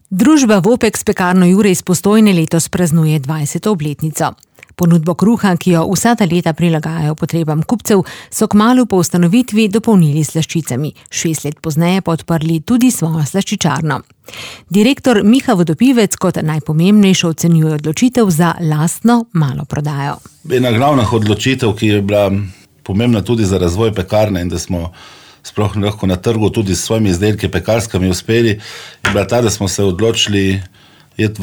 Družba Vopex Pekarno Jure iz Postojne letos praznuje 20. obletnico. Ponudbo kruha, ki jo vsa ta leta prilagajajo potrebam kupcev, so kmalu po ustanovitvi dopolnili s slaščicami. 6 let pozneje pa odprli tudi svojo slaščičarno. Direktor Miha Vodopivec kot najpomembnejšo ocenjuje odločitev za lastno malo prodajo. Ena glavnih odločitev, ki je bila pomembna tudi za razvoj pekarne in da smo sploh lahko na trgu tudi s svojimi izdelki pekarskimi uspeli, je bila ta, da smo se odločili iti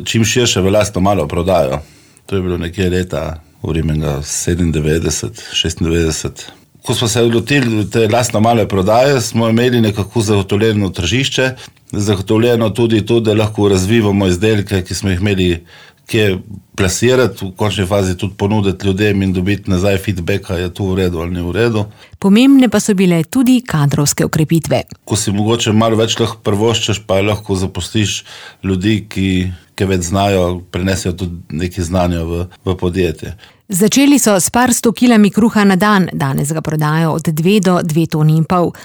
čim širše v lastno malo prodajo. To je bilo nekje leta 97-96. Ko smo se odlotili te lastno male prodaje, smo imeli nekako zagotovljeno tržišče, zagotovljeno tudi to, da lahko razvivamo izdelke, ki smo jih imeli kje plasirati, v končni fazi tudi ponuditi ljudem in dobiti nazaj feedbacka, je to v redu ali ni v redu. Pomembne pa so bile tudi kadrovske okrepitve. Ko si mogoče malo več lahko prvoščeš, pa lahko zaposliš ljudi, ki več znajo, prenesijo tudi nekaj znanja v podjetje. Začeli so s par 100 kilami kruha na dan, danes ga prodajo od 2 do 2,5 toni.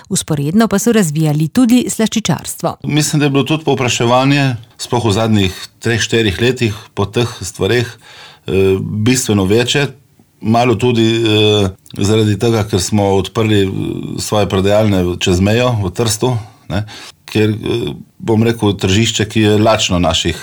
Usporedno pa so razvijali tudi slaščičarstvo. Mislim, da je bilo tudi povpraševanje, sploh v zadnjih 3-4 letih po teh stvareh, bistveno večje. Malo tudi zaradi tega, ker smo odprli svoje prodajalne čez mejo v Trstu, ne? Ker, bom rekel, tržišče, ki je lačno naših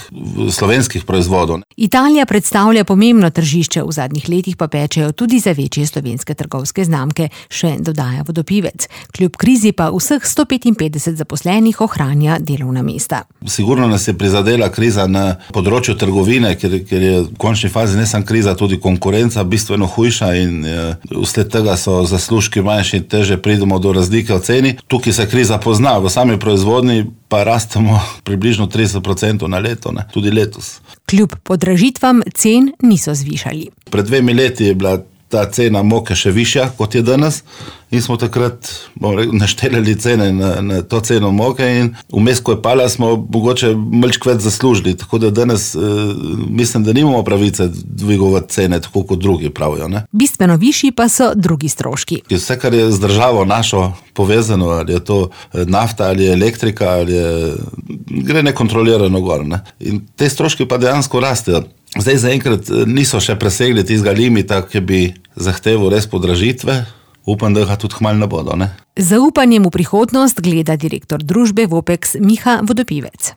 slovenskih proizvodov. Italija predstavlja pomembno tržišče, v zadnjih letih pa pečejo tudi za večje slovenske trgovske znamke, še dodaja Vodopivec. Kljub krizi pa vseh 155 zaposlenih ohranja delovna mesta. Sigurno nas je prizadela kriza na področju trgovine, ker je v končni fazi ne samo kriza, tudi konkurenca bistveno hujša in vsled tega so zaslužki manjši in teže pridemo do razlike v ceni. Tukaj se kriza pozna, v sami proizvodni pa rastemo približno 30% na leto, ne? Tudi letos. Kljub podražitvam cen niso zvišali. Pred 2 leti je bila ta cena moke še višja, kot je danes, in smo takrat naštelili cene na to ceno moke in vmes, ko je pala, smo mogoče malček več zaslužili, tako da danes mislim, da nimamo pravice dvigovati cene, tako kot drugi pravijo. Ne? Bistveno višji pa so drugi stroški. Vse, kar je z državo našo povezano, ali je to nafta, ali je elektrika, ali gre nekontrolirano gor. Ne? In te stroški pa dejansko rastejo. Zdaj zaenkrat niso še presegli tistega limita, ki bi zahteval res podražitve. Upam, da ga tudi kmalu ne bodo. Ne? Z zaupanjem v prihodnost gleda direktor družbe Vopex Miha Vodopivec.